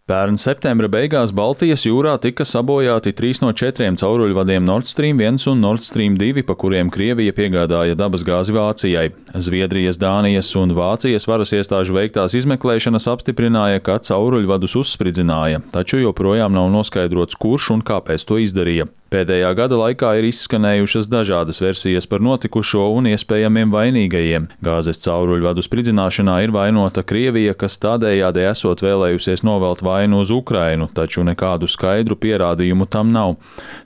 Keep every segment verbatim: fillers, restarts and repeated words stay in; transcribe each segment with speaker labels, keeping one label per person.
Speaker 1: Pērn septembra beigās Baltijas jūrā tika sabojāti trīs no četriem cauruļvadiem Nord Stream viens un Nord Stream divi, pa kuriem Krievija piegādāja dabasgāzi Vācijai. Zviedrijas, Dānijas un Vācijas varas iestāžu veiktās izmeklēšanas apstiprināja, ka cauruļvadus uzspridzināja, taču joprojām nav noskaidrots, kurš un kāpēc to izdarīja. Pēdējā gada laikā ir izskanējušas dažādas versijas par notikušo un iespējamiem vainīgajiem. Gāzes cauruļvadu spridzināšanā ir vainota Krievija, kas tādējādi esot vēlējusies novelt vainu uz Ukrainu, taču nekādu skaidru pierādījumu tam nav.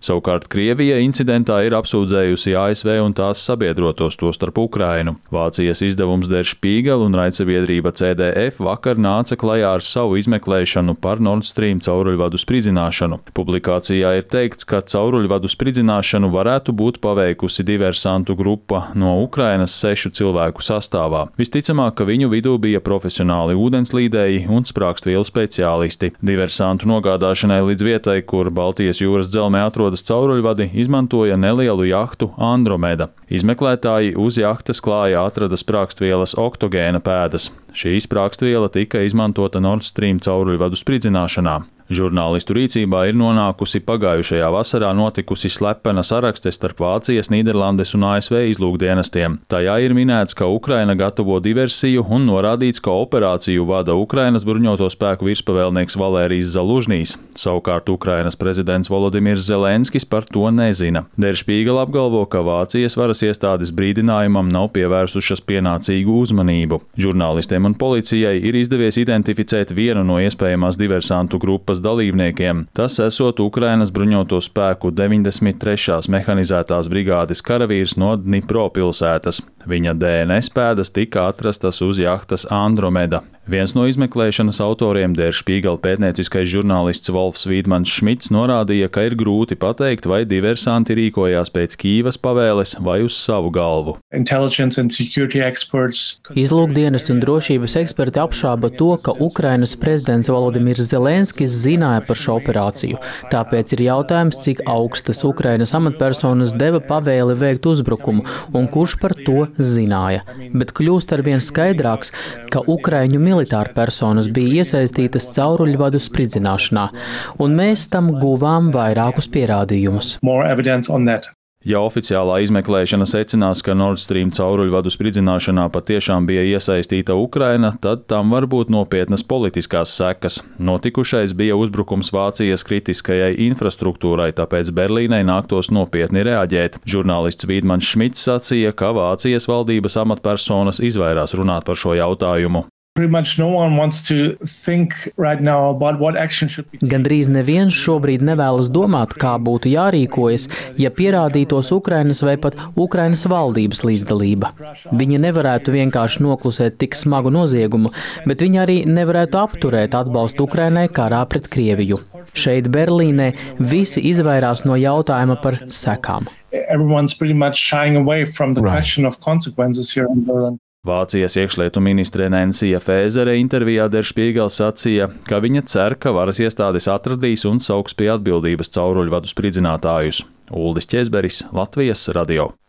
Speaker 1: Savukārt Krievija incidentā ir apsūdzējusi A S V un tās sabiedrotos, tostarp Ukrainu. Vācijas izdevums Der Spiegel un raidsabiedrība C D F vakar nāca klajā ar savu izmeklēšanu par Nord Stream cauruļvadu spridzināšanu. Publikācijā ir teikts, ka cauruļvadu Cauruļvadu spridzināšanu varētu būt paveikusi diversantu grupa no Ukrainas sešu cilvēku sastāvā. Visticamāk, ka viņu vidū bija profesionāli ūdenslīdēji un sprākstvielu speciālisti. Diversantu nogādāšanai līdz vietai, kur Baltijas jūras dzelzmē atrodas cauruļvadi, izmantoja nelielu jahtu Andromeda. Izmeklētāji uz jahtas klājā atrada sprākstvielas oktogēna pēdas. Šī sprākstviela tika izmantota Nord Stream cauruļvadu spridzināšanā. Žurnālistu rīcībā ir nonākusi pagājušajā vasarā notikusi slepena sarakste starp Vācijas, Nīderlandes un A S V izlūkdienestiem. Tajā ir minēts, ka Ukraina gatavo diversiju un norādīts, ka operāciju vada Ukrainas bruņoto spēku virspavēlnieks Valērijs Zalužņīs. Savukārt Ukrainas prezidents Volodimirs Zelenskis par to nezina. Der Spiegel apgalvo, ka Vācijas varas iestādes brīdinājumam nav pievērsušas pienācīgu uzmanību. Žurnālistiem un policijai ir izdevies identificēt vienu no iespējamās diversantu grupas dalībniekiem. Tas esot Ukrainas bruņoto spēku deviņdesmit trešās mehanizētās brigādes karavīrs no Dnipro pilsētas. Viņa D N S pēdas tika atrastas uz jahtas Andromeda. Viens no izmeklēšanas autoriem, Der Spiegel pētnieciskais žurnālists Wolfs Vīdmans Šmits, norādīja, ka ir grūti pateikt, vai diversanti rīkojās pēc Kīvas pavēles vai uz savu galvu.
Speaker 2: Izlūkdienas un drošības eksperti apšāba to, ka Ukrainas prezidents Volodimirs Zelenskis zināja par šo operāciju. Tāpēc ir jautājums, cik augstas Ukrainas amatpersonas deva pavēli veikt uzbrukumu un kurš par to zināja. Bet kļūst arvien skaidrāks, ka Ukraiņu militāra personas bija iesaistītas cauruļvadu spridzināšanā, un mēs tam guvām vairākus pierādījumus.
Speaker 1: Ja oficiālā izmeklēšana secinās, ka Nord Stream cauruļvadu spridzināšanā patiešām bija iesaistīta Ukraina, tad tam var būt nopietnas politiskās sekas. Notikušais bija uzbrukums Vācijas kritiskajai infrastruktūrai, tāpēc Berlīnei nāktos nopietni reaģēt. Žurnālists Vīdmans Šmits sacīja, ka Vācijas valdības amatpersonas izvairās runāt par šo jautājumu.
Speaker 2: Gandrīz neviens šobrīd nevēlas domāt, kā būtu jārīkojas, ja pierādītos Ukrainas vai pat Ukrainas valdības līdzdalība. Viņi nevarētu vienkārši noklusēt tik smagu noziegumu, bet viņi arī nevarētu apturēt atbalstu Ukrainai karā pret Krieviju. Šeit Berlīnē visi izvairās no jautājuma par sekām.
Speaker 1: Vācijas iekšlietu ministre Nensija Fēzere intervijā Der Spiegel sacīja, ka viņa cer, ka varas iestādes atradīs un sauks pie atbildības cauruļvadu spridzinātājus. Uldis Ķezberis, Latvijas radio.